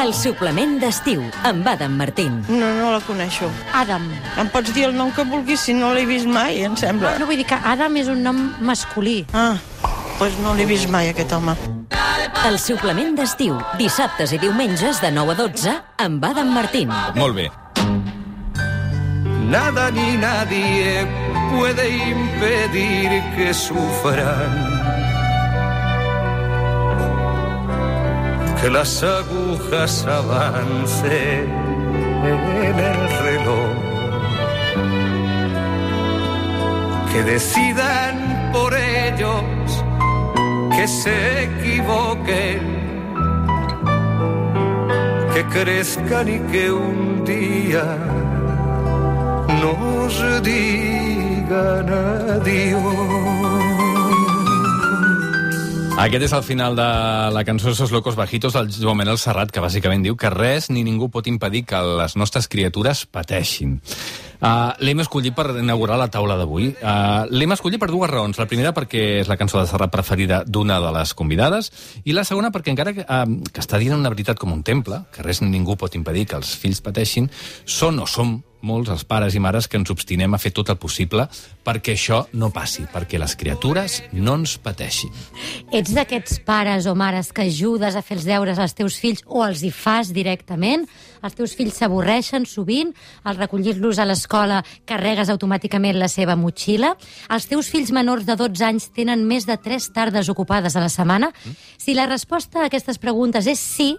El suplement d'estiu, amb Adam Martín. No la coneixo. Adam. Em pots dir el nom que vulguis si no l'he vist mai, em sembla. No, vull dir que Adam és un nom masculí. Doncs no l'he vist mai, aquest home. El suplement d'estiu, dissabtes i diumenges de 9 a 12, amb Adam Martín. Molt bé. Nada ni nadie puede impedir que sufran. Que las agujas avancen en el reloj. Que decidan por ellos que se equivoquen. Que crezcan y que un día nos digan adiós. Aquest és el final de la cançó Esos locos bajitos del Joan Manel Serrat, que bàsicament diu que res ni ningú pot impedir que les nostres criatures pateixin. L'hem escollit per inaugurar la taula d'avui. L'hem escollit per dues raons. La primera perquè és la cançó de Serrat preferida d'una de les convidades, i la segona perquè encara que està dient una veritat com un temple, que res ni ningú pot impedir que els fills pateixin, som molts els pares i mares que ens obstinem a fer tot el possible perquè això no passi, perquè les criatures no ens pateixin. Ets d'aquests pares o mares que ajudes a fer els deures als teus fills o els hi fas directament? Els teus fills s'avorreixen sovint? Al recollir-los a l'escola carregues automàticament la seva motxilla? Els teus fills menors de 12 anys tenen més de 3 tardes ocupades a la setmana? Si la resposta a aquestes preguntes és sí,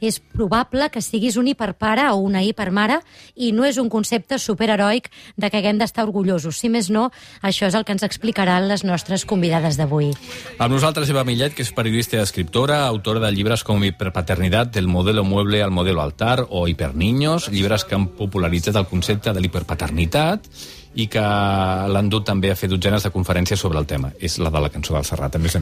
és probable que siguis un hiperpare o una hipermare i no és un concepte superheroic de què haguem d'estar orgullosos. Si més no, això és el que ens explicaran les nostres convidades d'avui. Amb nosaltres Eva Millet, que és periodista i escriptora, autora de llibres com Hiperpaternidad, del modelo mueble al modelo altar o Hiperniños, llibres que han popularitzat el concepte de l'hiperpaternitat i que l'han dut també a fer dotzenes de conferències sobre el tema. És la de la cançó del Serrat, a més.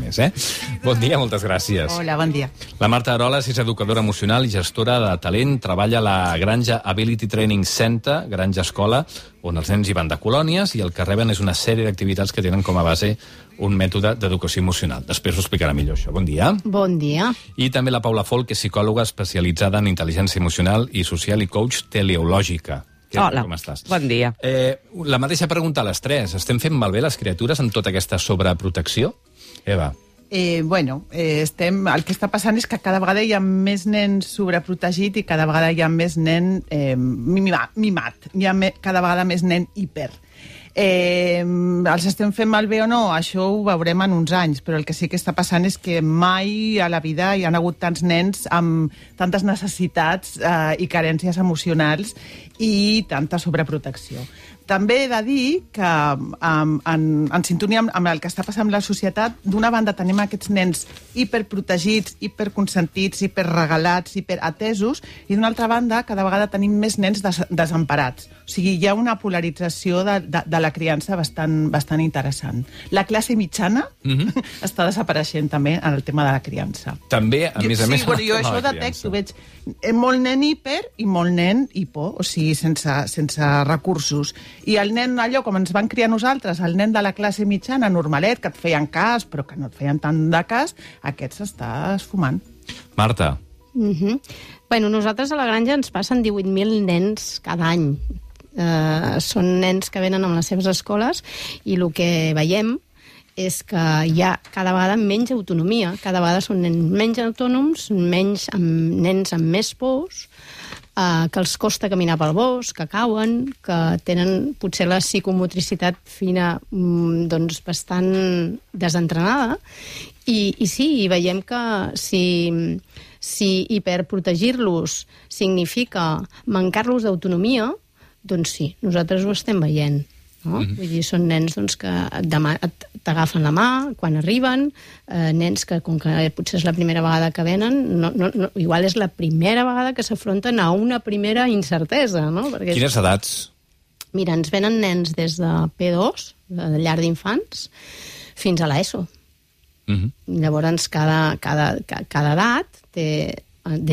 Bon dia, moltes gràcies. Hola, bon dia. La Marta Aroles és educadora emocional i gestora de talent. Treballa a la Granja Ability Training Center, Granja Escola, on els nens hi van de colònies i el que reben és una sèrie d'activitats que tenen com a base un mètode d'educació emocional. Després ho explicarà millor, això. Bon dia. Bon dia. I també la Paula Folk, que és psicòloga especialitzada en intel·ligència emocional i social i coach teleològica. Hola, com estàs? bon dia. La mateixa pregunta a les tres. Estem fent malbé les criatures amb tota aquesta sobreprotecció? Eva. El que està passant és que cada vegada hi ha més nens sobreprotegit i cada vegada hi ha més nen mimat. Hi ha cada vegada més nen hiper. Els estem fent malbé o no? Això ho veurem en uns anys, però el que sí que està passant és que mai a la vida hi ha hagut tants nens amb tantes necessitats i carències emocionals i tanta sobreprotecció. També he de dir que en sintonia amb el que està passant amb la societat, d'una banda tenim aquests nens hiperprotegits, hiperconsentits, hiperregalats, hiperatesos, i d'una altra banda cada vegada tenim més nens desemparats. O sigui, hi ha una polarització de la criança bastant interessant. La classe mitjana està desapareixent també en el tema de la criança. També, a més, jo això detecto, veig molt nen hiper i molt nen hipo, o sigui, sense recursos. I el nen, allò, com ens van criar nosaltres, el nen de la classe mitjana, normalet, que et feien cas, però que no et feien tant de cas, aquest s'està esfumant. Marta. Bueno, nosaltres a la granja ens passen 18.000 nens cada any. Són nens que venen amb les seves escoles i el que veiem és que hi ha cada vegada menys autonomia, cada vegada són nens menys autònoms, nens amb més pors, que els costa caminar pel bosc, que cauen, que tenen potser la psicomotricitat fina bastant desentrenada. I sí, veiem que si hiperprotegir-los significa mancar-los d'autonomia, doncs sí, nosaltres ho estem veient. No? Vull dir, són nens que t'agafen la mà quan arriben, nens que, com que potser és la primera vegada que venen, igual és la primera vegada que s'afronten a una primera incertesa. No? Perquè quines edats? Mira, ens venen nens des de P2, de llar d'infants, fins a l'ESO. Llavors, cada edat té,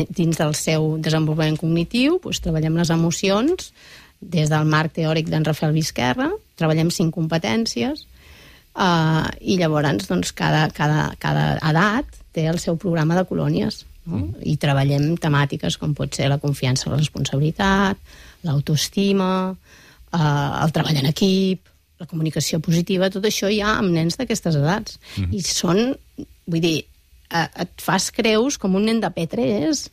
dins del seu desenvolupament cognitiu, treballem les emocions. Des del marc teòric d'en Rafael Vizquerra, treballem 5 competències, I llavors doncs, cada edat té el seu programa de colònies, no? I treballem temàtiques com pot ser la confiança, la responsabilitat, l'autoestima, el treball en equip, la comunicació positiva, tot això ja amb nens d'aquestes edats. I són, vull dir, et fas creus com un nen de P3,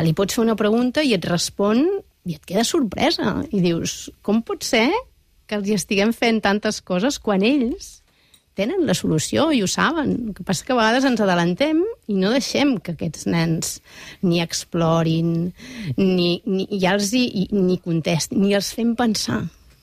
li pots fer una pregunta i et respon i et queda sorpresa. I dius, com pot ser que els hi estiguem fent tantes coses quan ells tenen la solució i ho saben? El que passa que a vegades ens adelantem i no deixem que aquests nens ni explorin, ni contestin, ni els fem pensar.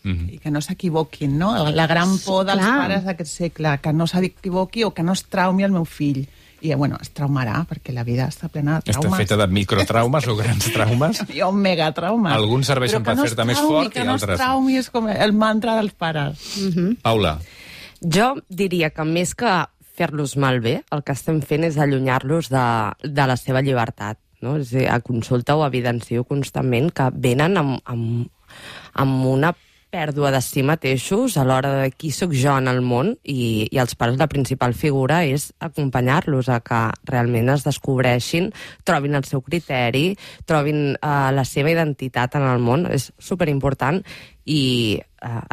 I que no s'equivoquin, no? La gran por dels pares d'aquest segle, que no s'equivoqui o que no es traumi el meu fill. I, bueno, es traumarà, perquè la vida està plena de traumes. Està feta de microtraumes o grans traumes. Hi ha un megatraumes. Alguns serveixen per fer-te més fort i altres. Que no es traumi és com el mantra dels pares. Paula. Jo diria que més que fer-los malbé, el que estem fent és allunyar-los de la seva llibertat. No? És a dir, a consulta ho evidencio constantment que venen amb una pèrdua de si mateixos a l'hora de qui sóc jo en el món i els pares la principal figura és acompanyar-los a que realment es descobreixin, trobin el seu criteri, trobin la seva identitat en el món. És superimportant i,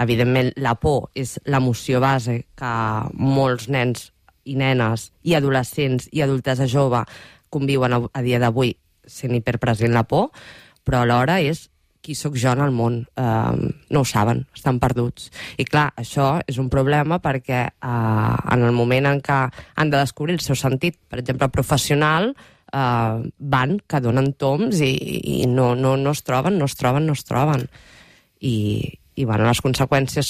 evidentment, la por és l'emoció base que molts nens i nenes i adolescents i adultesa jove conviuen a dia d'avui sent hiperpresent la por, però alhora és qui sóc jo en el món. No ho saben, estan perduts. I clar, això és un problema perquè en el moment en què han de descobrir el seu sentit, per exemple, professional, van que donen toms i no es troben. I bueno, les conseqüències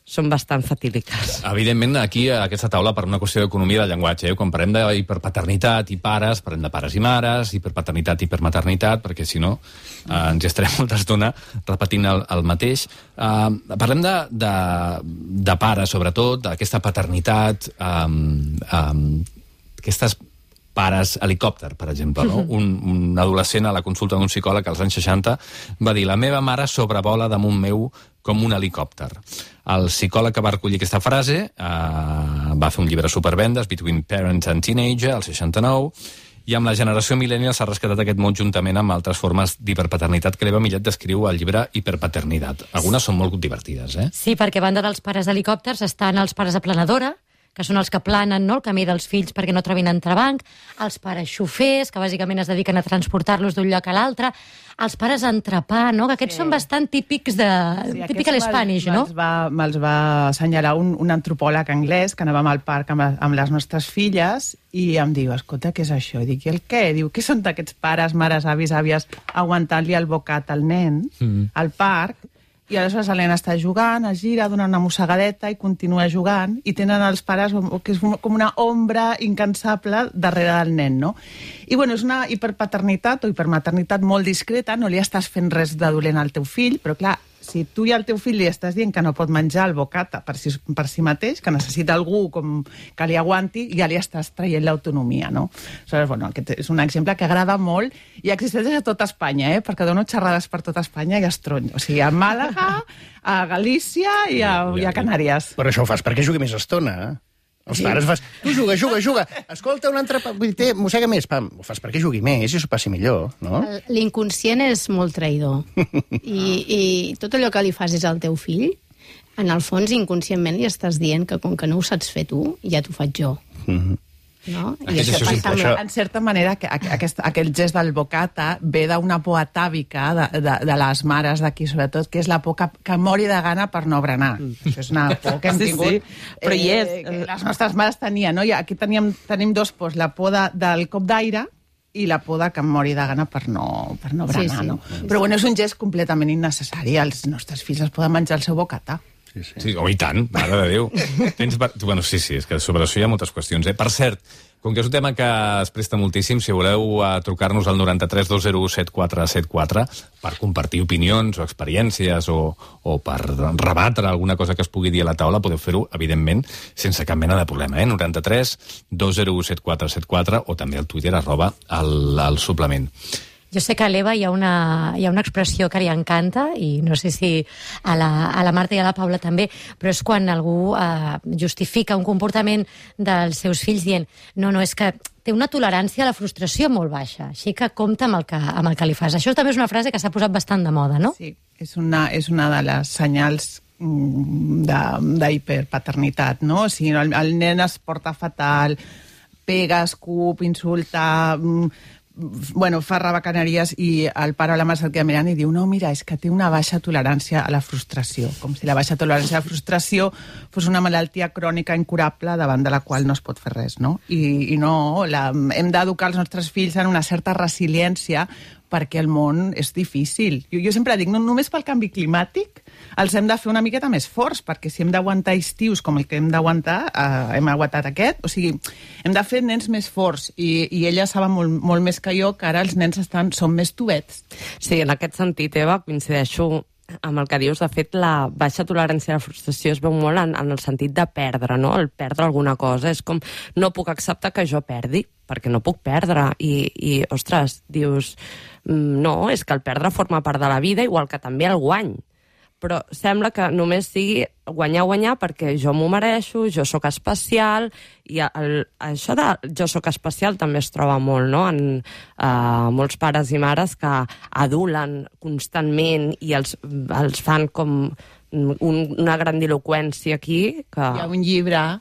són bastant fatídiques. Evidentment, aquí, a aquesta taula, per una qüestió d'economia del llenguatge, quan parlem d'hiperpaternitat i pares, parlem de pares i mares, hiperpaternitat i hipermaternitat, perquè si no ens hi estarem molta estona repetint el mateix. Parlem de pares, sobretot, d'aquesta paternitat, aquestes pares helicòpter, per exemple. No? Un adolescent a la consulta d'un psicòleg als anys 60 va dir: la meva mare sobrevola damunt meu com un helicòpter. El psicòleg que va recollir aquesta frase va fer un llibre supervendes, Between Parents and Teenager, al 69, i amb la generació millennial s'ha rescatat aquest mot juntament amb altres formes d'hiperpaternitat que l'Eva Millet descriu al llibre Hiperpaternitat. Algunes són molt divertides, eh? Sí, perquè a banda dels pares helicòpters estan els pares aplanadora, que són els que planen, no?, el camí dels fills perquè no trobin entrebanc, els pares xofers, que bàsicament es dediquen a transportar-los d'un lloc a l'altre, els pares entrepà, no?, que aquests són bastant típics típic a l'Spanish, no? Me'ls va assenyalar un antropòleg anglès que anàvem al parc amb les nostres filles i em diu: escolta, què és això? I dic: i el què? Diu: què són aquests pares, mares, avis, àvies aguantant-li el bocat al nen al parc? I aleshores el nen està jugant, es gira, dona una mossegadeta i continua jugant, i tenen els pares que és com una ombra incansable darrere del nen, no? I bueno, és una hiperpaternitat o hipermaternitat molt discreta, no li estàs fent res de dolent al teu fill, però clar, si tu i al teu fill li estàs dient que no pot menjar el bocata per si mateix, que necessita algú que li aguanti, ja li estàs traient l'autonomia, no? Aleshores, bueno, aquest és un exemple que agrada molt i existeix a tota Espanya, perquè dono xerrades per tota Espanya i estronyo. O sigui, a Màlaga, a Galícia i a Canàries. Però això ho fas perquè jugui més estona, Els pares fas, tu juga. Escolta, un altre... Vull dir, mossega més, pam. Ho fas perquè jugui més i s'ho passi millor, no? L'inconscient és molt traïdor. I tot allò que li facis al teu fill, en el fons, inconscientment li estàs dient que com que no ho saps fer tu, ja t'ho faig jo. No? I això passa en certa manera aquell gest del bocata ve d'una por atàvica de les mares d'aquí, sobretot, que és la por que mori de gana per no berenar. Això és una por que hem tingut, però que les nostres mares tenien, no? I aquí tenim dos pors, la por del cop d'aire i la por que em mori de gana per no berenar, no? Però bueno, és un gest completament innecessari. Els nostres fills es poden menjar el seu bocata. Sí, i tant, mare de Déu. Bueno, sí, és que sobre això hi ha moltes qüestions. Per cert, com que és un tema que es presta moltíssim, si voleu trucar-nos al 93 201 7474 per compartir opinions o experiències o per rebatre alguna cosa que es pugui dir a la taula, podeu fer-ho, evidentment, sense cap mena de problema. 93 201 7474 o també al Twitter @el suplement. Jo sé que a l'Eva hi ha una expressió que li encanta, i no sé si a la Marta i a la Paula també, però és quan algú justifica un comportament dels seus fills dient no, és que té una tolerància a la frustració molt baixa, així que compta amb el que li fas. Això també és una frase que s'ha posat bastant de moda, no? Sí, és una de les senyals d'hiperpaternitat, no? O sigui, el nen es porta fatal, pega, escup, insulta, fa rabacaneries, i el pare o la mare se'l queda mirant i diu no, mira, és que té una baixa tolerància a la frustració, com si la baixa tolerància a la frustració fos una malaltia crònica incurable davant de la qual no es pot fer res, no? I no, hem d'educar els nostres fills en una certa resiliència perquè el món és difícil. Jo sempre dic, no només pel canvi climàtic els hem de fer una miqueta més forts, perquè si hem d'aguantar estius com el que hem d'aguantar, hem aguantat aquest, o sigui, hem de fer nens més forts, i ella saben molt més que jo que ara els nens són més tubets. Sí, en aquest sentit, Eva, coincideixo amb el que dius. De fet, la baixa tolerància a la frustració es veu molt en el sentit de perdre, no? El perdre alguna cosa. És com, no puc acceptar que jo perdi, perquè no puc perdre. I ostres, dius, no, és que el perdre forma part de la vida, igual que també el guany. Però sembla que només sigui guanyar perquè jo m'ho mereixo, jo sóc especial, i això de jo sóc especial també es troba molt, no? En molts pares i mares que adulen constantment i els fan com una grandiloqüència aquí. Hi ha un llibre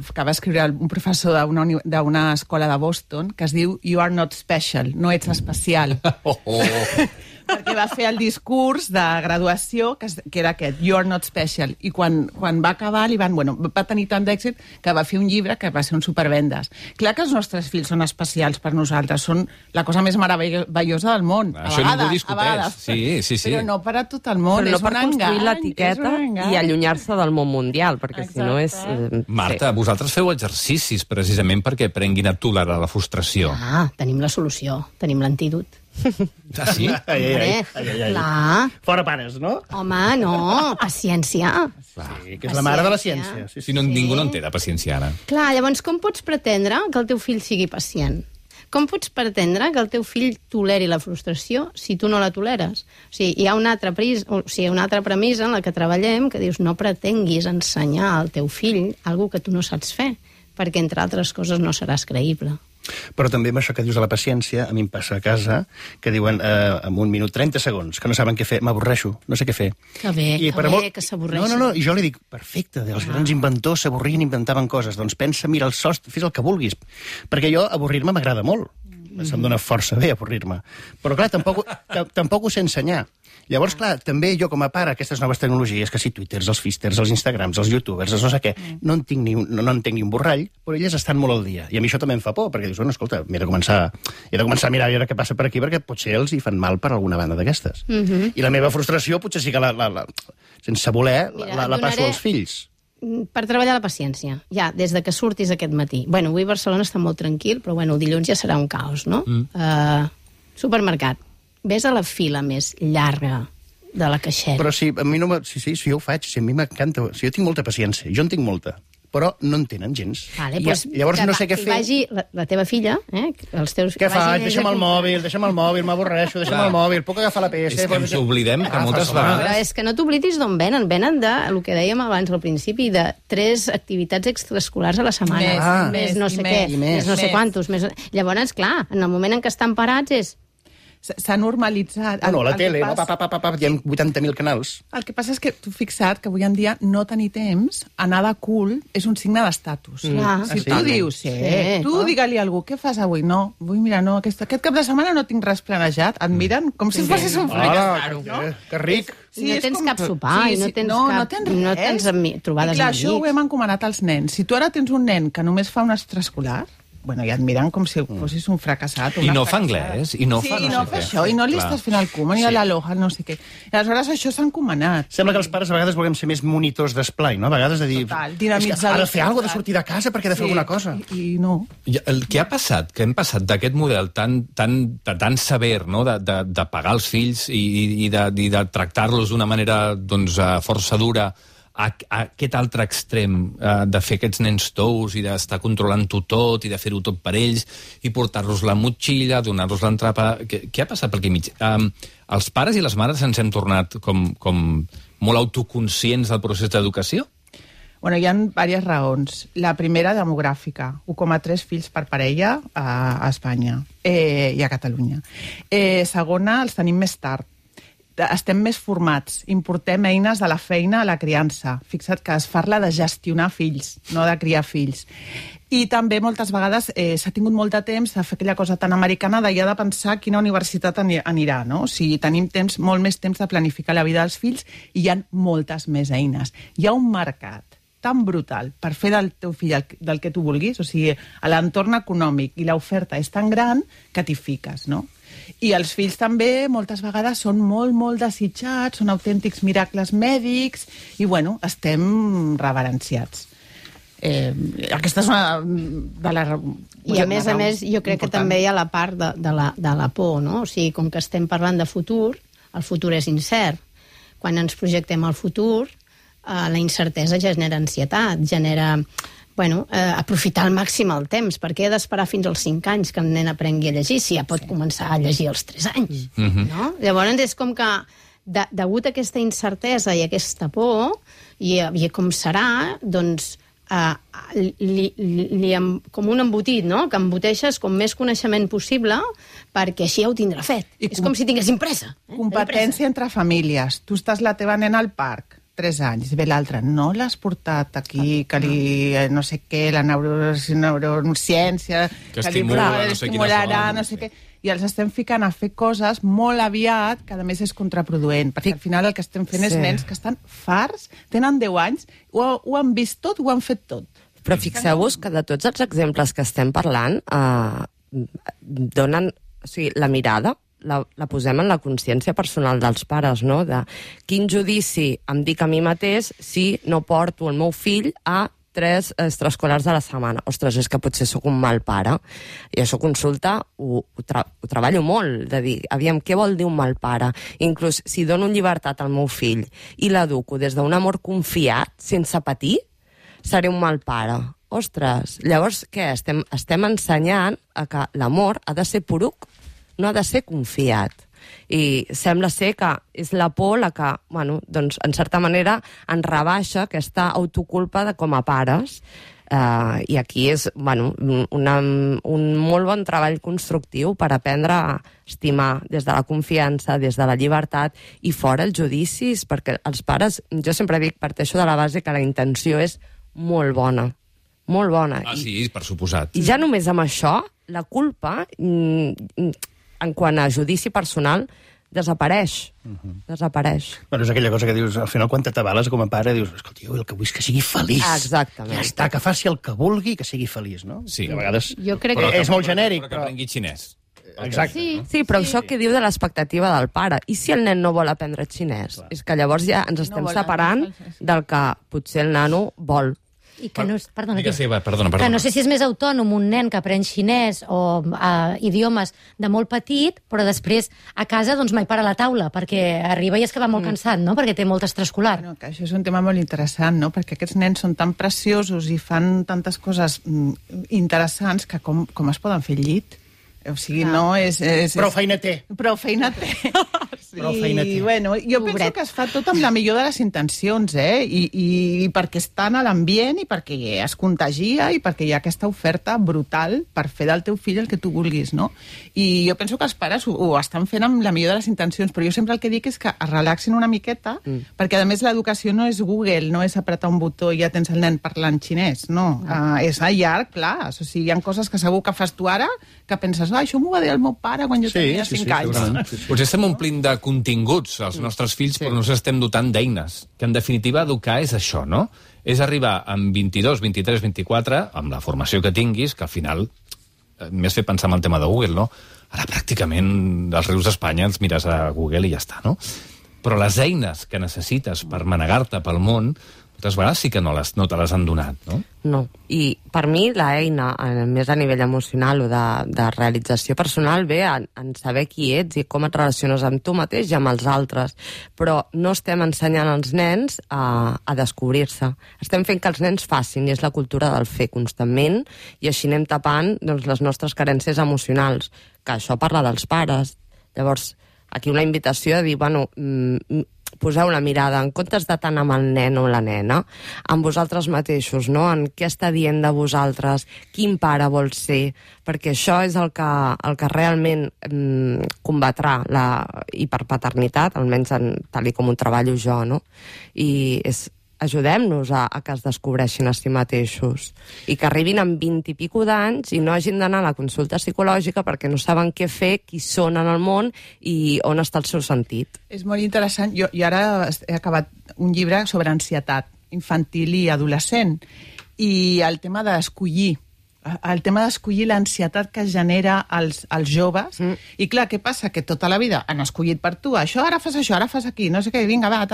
que va escriure un professor d'una escola de Boston que es diu You are not special, no ets especial. Perquè va fer el discurs de graduació que era aquest, You are not special, i quan va acabar va tenir tant d'èxit que va fer un llibre que va ser un supervendes. Clar que els nostres fills són especials per nosaltres, són la cosa més meravellosa del món. Això ningú discuteix. Sí. Però no per a tot el món, és un engany. Però no per construir l'etiqueta i allunyar-se del món mundial, perquè si no és... Marta, vosaltres feu exercicis precisament perquè aprenguin a tolerar la frustració. Tenim la solució, tenim l'antídot. Ah, sí? Clar. Fora pares, no? Home, no, paciència. Sí, que és la mare de la ciència. Sí. Ningú no en té de paciència, ara. Clar, llavors com pots pretendre que el teu fill sigui pacient? Com pots pretendre que el teu fill toleri la frustració si tu no la toleres? O sigui, hi ha una altra premissa en la que treballem que dius no pretenguis ensenyar al teu fill alguna que tu no saps fer, perquè, entre altres coses, no seràs creïble. Però també amb això que dius de la paciència, a mi em passa a casa, que diuen en 1 minut 30 segons, que no saben què fer, m'avorreixo, no sé què fer. Que bé, que s'avorreixen. No, i jo li dic, perfecte, els grans inventors s'avorrien i inventaven coses, doncs pensa, mira el sostre, fes el que vulguis. Perquè jo, avorrir-me m'agrada molt. Se'm dona força bé avorrir-me. Però clar, tampoc ho sé ensenyar. Llavors, clar, també jo com a pare, aquestes noves tecnologies, que si Twitters, els Fisters, els Instagrams, els YouTubers, els no sé què, no entenc ni un borrall, però elles estan molt al dia. I a mi això també em fa por, perquè dius, bueno, escolta, he de començar a mirar a veure què passa per aquí, perquè potser els hi fan mal per alguna banda d'aquestes. I la meva frustració potser sí que sense voler la passo als fills. Per treballar la paciència, ja, des de que surtis aquest matí. Bueno, avui Barcelona està molt tranquil, però bueno, el dilluns ja serà un caos, no? Supermercat. Ves a la fila més llarga de la caixera. Però sí, a mi no... Sí, jo ho faig, a mi m'encanta. Jo tinc molta paciència, jo en tinc molta. Però no en tenen gens. Vale, llavors no sé què fer. Vagi la teva filla, els teus... Què faig? Deixa'm el mòbil, m'avorreixo, deixa'm el mòbil, puc agafar la PS... És que ens oblidem que moltes vegades... Però és que no t'oblidis d'on venen. Venen de, el que dèiem abans al principi, de 3 activitats extraescolars a la setmana. Més no sé què, més no sé quantos. Llavors, clar, en el moment en què estan parats és... S'ha normalitzat. No, la tele, hi ha 80.000 canals. El que passa és que tu fixa't que avui en dia no tenir temps, anar de cul, és un signe d'estatus. Si tu dius, tu digue-li a algú, què fas avui? No, vull mirar, no, aquest cap de setmana no tinc res planejat. Et miren com si fossis un fracàs. Que ric. No tens cap sopar i no tens trobades amb amics. Clar, això ho hem encomanat als nens. Si tu ara tens un nen que només fa un extraescolar, ja et miren com si fossis un fracassat. I no fa anglès, i no fa això, i no li estàs fent el cuma, ni a l'aloha, no sé què. I aleshores això s'ha encomanat. Sembla que els pares a vegades volem ser més monitors d'esplai, no? A vegades de dir... Total, ha de fer alguna cosa, de sortir de casa perquè ha de fer alguna cosa. I no. El que ha passat, que hem passat d'aquest model tan sever, no?, de pagar els fills i de tractar-los d'una manera, doncs, força dura, a aquest altre extrem de fer aquests nens tous i d'estar controlant-ho tot i de fer-ho tot per ells i portar-los la motxilla, donar-los l'entrapa... Què ha passat per aquí mig? Els pares i les mares ens hem tornat com molt autoconscients del procés d'educació? Bueno, hi ha diverses raons. La primera, demogràfica. 1,3 fills per parella a Espanya i a Catalunya. Segona, els tenim més tard. Estem més formats, importem eines de la feina a la criança. Fixa't que es parla de gestionar fills, no de criar fills. I també moltes vegades s'ha tingut molt de temps de fer aquella cosa tan americana de ja de pensar quina universitat anirà, no? O sigui, tenim molt més temps de planificar la vida dels fills i hi ha moltes més eines. Hi ha un mercat tan brutal per fer del teu fill del que tu vulguis, o sigui, l'entorn econòmic i l'oferta és tan gran que t'hi fiques, no? I els fills també moltes vegades són molt desitjats, són autèntics miracles mèdics i, bueno, estem reverenciats. Aquesta és una de les... I a més, jo crec que també hi ha la part de la por, no? O sigui, com que estem parlant de futur, el futur és incert. Quan ens projectem al futur, la incertesa genera ansietat, genera... aprofitar al màxim el temps, perquè he d'esperar fins als 5 anys que el nen aprengui a llegir, si ja pot començar a llegir als 3 anys. No? Llavors és com que, degut a aquesta incertesa i aquesta por, i com serà, doncs, com un embotit, no? Que emboteixes com més coneixement possible perquè així ja ho tindrà fet. És com si tinguessin pressa. Competència entre famílies. Tu estàs la teva nena al parc, 3 anys, ve l'altre, no l'has portat aquí, que li, no sé què, la neurociència, que estimularà, no sé què, i els estem ficant a fer coses molt aviat, que a més és contraproduent, perquè al final el que estem fent és nens que estan farts, tenen 10 anys, ho han vist tot, ho han fet tot. Però fixeu-vos que de tots els exemples que estem parlant, donen, o sigui, la mirada, la posem en la consciència personal dels pares, no? De quin judici em dic a mi mateix si no porto el meu fill a 3 extraescolars a la setmana. Ostres, és que potser sóc un mal pare. I això consulta ho treballo molt, de dir, aviam, què vol dir un mal pare? Inclús si dono llibertat al meu fill i l'educo des d'un amor confiat, sense patir, seré un mal pare. Ostres, llavors què? Estem ensenyant a que l'amor ha de ser poruc, no ha de ser confiat. I sembla ser que és la por la que, bueno, doncs, en certa manera, ens rebaixa aquesta autoculpa de com a pares. I aquí és, bueno, un molt bon treball constructiu per aprendre a estimar des de la confiança, des de la llibertat i fora els judicis, perquè els pares, jo sempre dic, parteixo de la base que la intenció és molt bona. Molt bona. Sí, per suposat. I ja només amb això, la culpa, en quant a judici personal, desapareix. Desapareix. Bueno, és aquella cosa que dius, al final, quan t'atabales com a pare, dius, escolta, jo el que vull és que sigui feliç. Exactament. Ja està, que faci el que vulgui, que sigui feliç, no? Sí. A vegades jo crec que és molt genèric. Però que aprengui xinès. Exacte. Sí, però això que diu de l'expectativa del pare. I si el nen no vol aprendre xinès? És que llavors ja ens estem separant del que potser el nano vol. I que no, perdona, perdona. Que no sé si és més autònom un nen que aprèn xinès o idiomes de molt petit, però després a casa doncs mai para a la taula, perquè arriba i és que va molt cansat, no? Perquè té molt extraescolar. Bueno, que això és un tema molt interessant, no? Perquè aquests nens són tan preciosos i fan tantes coses interessants que com es poden fer al llit? O sigui, no és... Prou feina té. Prou feina té. Prou feina té. I, bueno, jo penso que es fa tot amb la millor de les intencions, I perquè estan a l'ambient i perquè es contagia i perquè hi ha aquesta oferta brutal per fer del teu fill el que tu vulguis, no? I jo penso que els pares ho estan fent amb la millor de les intencions, però jo sempre el que dic és que es relaxin una miqueta, perquè a més l'educació no és Google, no és apretar un botó i ja tens el nen parlant xinès, no. És a llarg plaç. O sigui, hi ha coses que segur que fas tu ara que penses, això m'ho va dir el meu pare quan jo tenia 5 anys. Potser estem omplint de continguts als nostres fills, però no ens estem dotant d'eines. Que, en definitiva, educar és això, no? És arribar amb 22, 23, 24, amb la formació que tinguis, que al final m'has fet pensar en el tema de Google, no? Ara, pràcticament, als rius d'Espanya els mires a Google i ja està, no? Però les eines que necessites per manegar-te pel món, moltes vegades sí que no te les han donat, no? No. I per mi l'eina, més a nivell emocional o de realització personal, ve en saber qui ets i com et relaciones amb tu mateix i amb els altres. Però no estem ensenyant als nens a descobrir-se. Estem fent que els nens facin, i és la cultura del fer constantment, i així anem tapant doncs, les nostres carències emocionals, que això parla dels pares. Llavors, aquí una invitació a dir, bueno, poseu la mirada, en comptes de tant amb el nen o la nena, amb vosaltres mateixos, no? En què està dient de vosaltres, quin pare vol ser, perquè això és el que realment combatrà la hiperpaternitat, almenys tal com ho treballo jo, no? I ajudem-nos a que es descobreixin a si mateixos i que arribin amb 20 i pico d'anys i no hagin d'anar a la consulta psicològica perquè no saben què fer, qui són en el món i on està el seu sentit. És molt interessant. Jo ara he acabat un llibre sobre ansietat infantil i adolescent i el tema d'escollir l'ansietat que es genera als joves. I clar, què passa? Que tota la vida han escollit per tu, això, ara fas aquí, no sé què, vinga, va,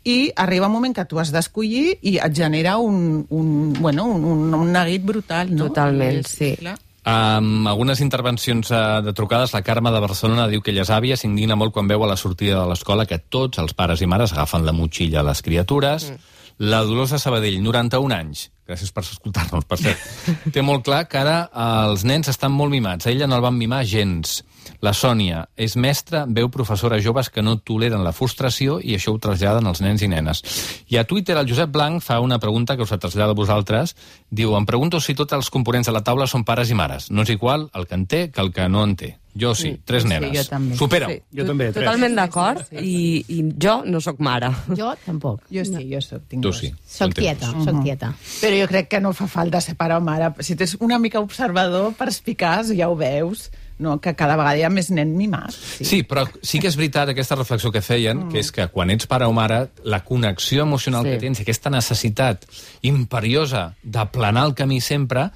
i arriba un moment que tu has d'escollir i et genera un neguit brutal, no? Totalment, sí. Clar. Amb algunes intervencions de trucades, la Carme de Barcelona diu que ella és àvia, s'indigna molt quan veu a la sortida de l'escola que tots els pares i mares agafen la motxilla a les criatures. La Dolors de Sabadell, 91 anys, gràcies per escoltar-nos, per cert, té molt clar que ara els nens estan molt mimats. A ella no el van mimar gens. La Sònia és mestra, veu professores joves que no toleren la frustració i això ho traslladen als nens i nenes. I a Twitter el Josep Blanc fa una pregunta que us la trasllada a vosaltres. Diu, em pregunto si tots els components de la taula són pares i mares. No és igual el que en té que el que no en té. Jo sí, 3 nenes. Sí, jo també. Supera-ho. Sí, Jo també, 3. Totalment d'acord, i jo no sóc mare. Jo tampoc. Jo sí, jo soc. Tu sí. Soc tieta, soc tieta. Però jo crec que no fa falta ser pare o mare. Si tens una mica observador, perspicaç, ja ho veus, no? Que cada vegada hi ha més nen mimat. Sí, però sí que és veritat aquesta reflexió que feien, que és que quan ets pare o mare, la connexió emocional que tens, aquesta necessitat imperiosa d'aplanar el camí sempre,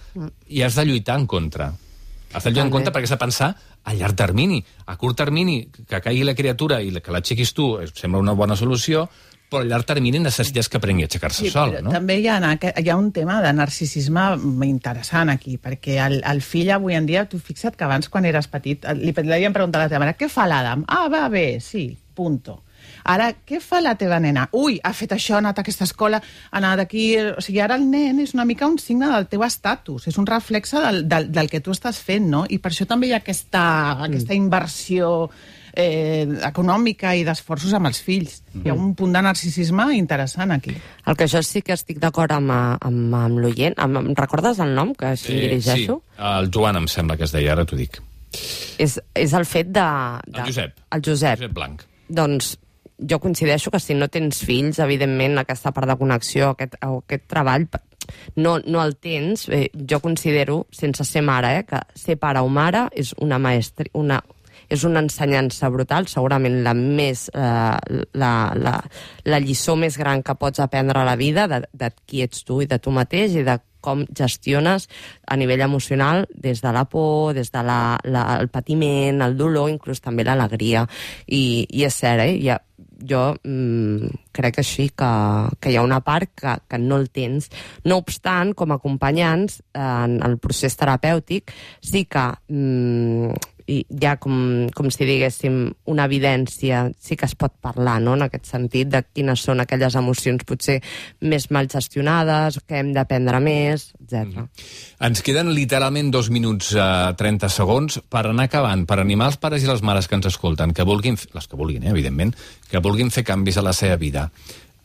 i has de lluitar en contra. Has de lluitar en contra perquè has de pensar a llarg termini. A curt termini, que caigui la criatura i que l'aixequis tu sembla una bona solució, però a llarg termini necessites que aprengui a aixecar-se sol, no? També hi ha un tema de narcisisme interessant aquí, perquè el fill avui en dia, tu fixa't que abans, quan eres petit, li havien preguntat a la teva mare, què fa l'Adam? Ah, va bé, sí, punto. Ara, què fa la teva nena? Ui, ha fet això, ha anat a aquesta escola, ha anat aquí... O sigui, ara el nen és una mica un signe del teu estatus, és un reflexe del que tu estàs fent, no? I per això també hi ha aquesta inversió econòmica i d'esforços amb els fills. Hi ha un punt de narcisisme interessant aquí. El que jo sí que estic d'acord amb l'oient. Em recordes el nom, que així dirigeixo? Sí, el Joan em sembla que es deia, ara t'ho dic. És el fet de... El Josep. El Josep. Josep Blanc. Doncs jo coincideixo que si no tens fills, evidentment, aquesta part de connexió, aquest treball, no el tens. Jo considero, sense ser mare, que ser pare o mare és és una ensenyança brutal, segurament la lliçó més gran que pots aprendre a la vida de qui ets tu i de tu mateix i de com gestiones a nivell emocional des de la por, des de el patiment, el dolor, inclús també l'alegria. I és cert, jo crec així que hi ha una part que no el tens. No obstant, com a acompanyants en el procés terapèutic, sí que hi ha, com si diguéssim, una evidència, sí que es pot parlar, no?, en aquest sentit, de quines són aquelles emocions potser més mal gestionades, que hem d'aprendre més, etc. Ens queden literalment 2 minuts 30 segons per anar acabant, per animar els pares i les mares que ens escolten, que vulguin, les que vulguin, evidentment, que vulguin fer canvis a la seva vida,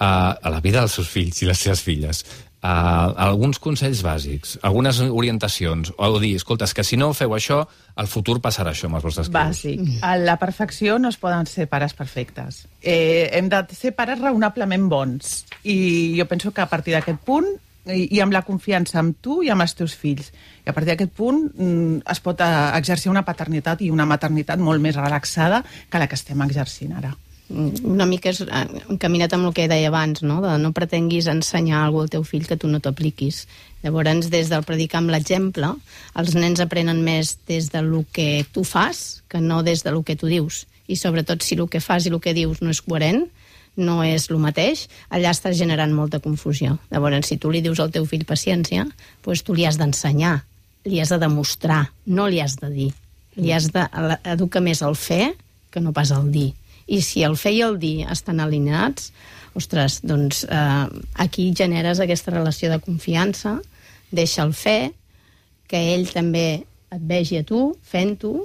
a la vida dels seus fills i les seves filles. Alguns consells bàsics, algunes orientacions, o dir, escolta, és que si no feu això, al futur passarà això amb els vostres fills. Bàsic. A la perfecció no es poden ser pares perfectes. Hem de ser pares raonablement bons. I jo penso que a partir d'aquest punt, i amb la confiança amb tu i amb els teus fills, i a partir d'aquest punt es pot exercir una paternitat i una maternitat molt més relaxada que la que estem exercint ara. Una mica és encaminat amb el que deia abans, no? De no pretenguis ensenyar alguna cosa al teu fill que tu no t'apliquis. Llavors, des del predicar amb l'exemple, els nens aprenen més des del que tu fas que no des del que tu dius. I sobretot, si el que fas i el que dius no és coherent, no és el mateix, allà estàs generant molta confusió. Llavors, si tu li dius al teu fill paciència, doncs tu li has d'ensenyar, li has de demostrar, no li has de dir. Li has d'educar més el fer que no pas el dir. I si el fer i el dir estan alineats, ostres, doncs aquí generes aquesta relació de confiança, deixa el fer, que ell també et vegi a tu, fent-ho,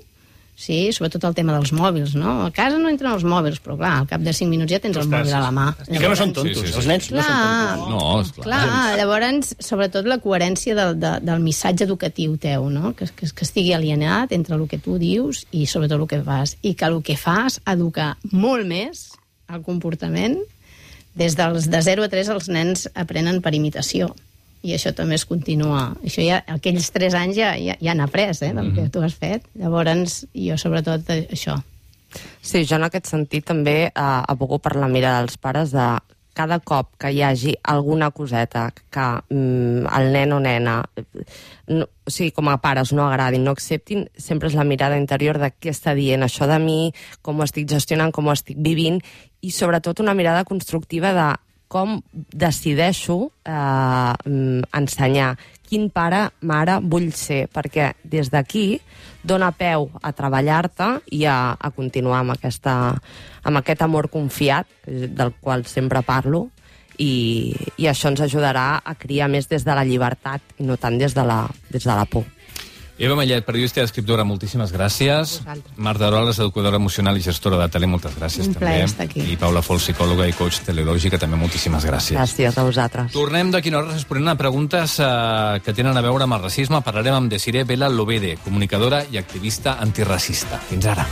sí, sobretot el tema dels mòbils, no? A casa no entren els mòbils, però clar, al cap de 5 minuts ja tens el mòbil a la mà. I que no són tontos, els nens no són tontos. No, esclar. Clar, llavors, sobretot la coherència del missatge educatiu teu, no? Que estigui alienat entre el que tu dius i sobretot el que fas. I que el que fas educar molt més el comportament. Des dels de 0 a 3 els nens aprenen per imitació. I això també es continua. Això ja, aquells 3 anys ja han après, del que tu has fet. Llavors, jo sobretot això. Sí, jo en aquest sentit també abogo per la mirada dels pares de cada cop que hi hagi alguna coseta que el nen o nena, o sigui, com a pares no agradin, no acceptin, sempre és la mirada interior de què està dient això de mi, com ho estic gestionant, com ho estic vivint, i sobretot una mirada constructiva de com decideixo ensenyar, quin pare, mare vull ser, perquè des d'aquí dona peu a treballar-te i a continuar amb aquest amor confiat, del qual sempre parlo, i això ens ajudarà a criar més des de la llibertat i no tant des de la por. Eva Mallet, periodista i escriptora, moltíssimes gràcies. Marta Aroles, educadora emocional i gestora de tele, moltes gràcies. Un plaer estar aquí. I Paula Fol, psicòloga i coach teleològica, també moltíssimes gràcies. Gràcies a vosaltres. Tornem d'aquí una hora responent a preguntes que tenen a veure amb el racisme. Parlarem amb Desiree Vela Lobede, comunicadora i activista antiracista. Fins ara.